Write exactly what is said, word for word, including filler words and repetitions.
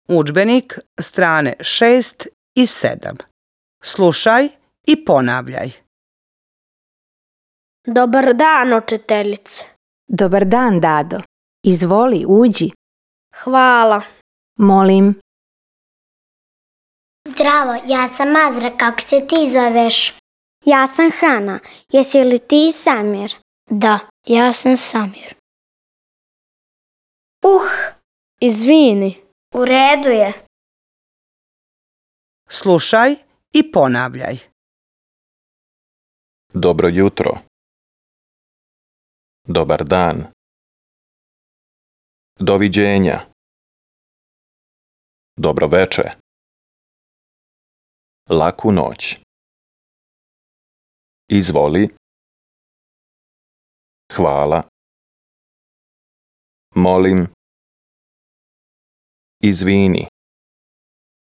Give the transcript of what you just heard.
Udžbenik, strane šest i sedam. Slušaj i ponavljaj. Dobar dan, učiteljice. Dobar dan, Dado. Izvoli, uđi. Hvala. Molim. Zdravo, ja sam Azra, kako se ti zoveš? Ja sam Hana, jesi li ti Samir? Da, ja sam Samir. Uh, Izvini. U redu je. Slušaj i ponavljaj. Dobro jutro. Dobar dan. Doviđenja. Dobro veče. Laku noć. Izvoli. Hvala. Molim. Izvini.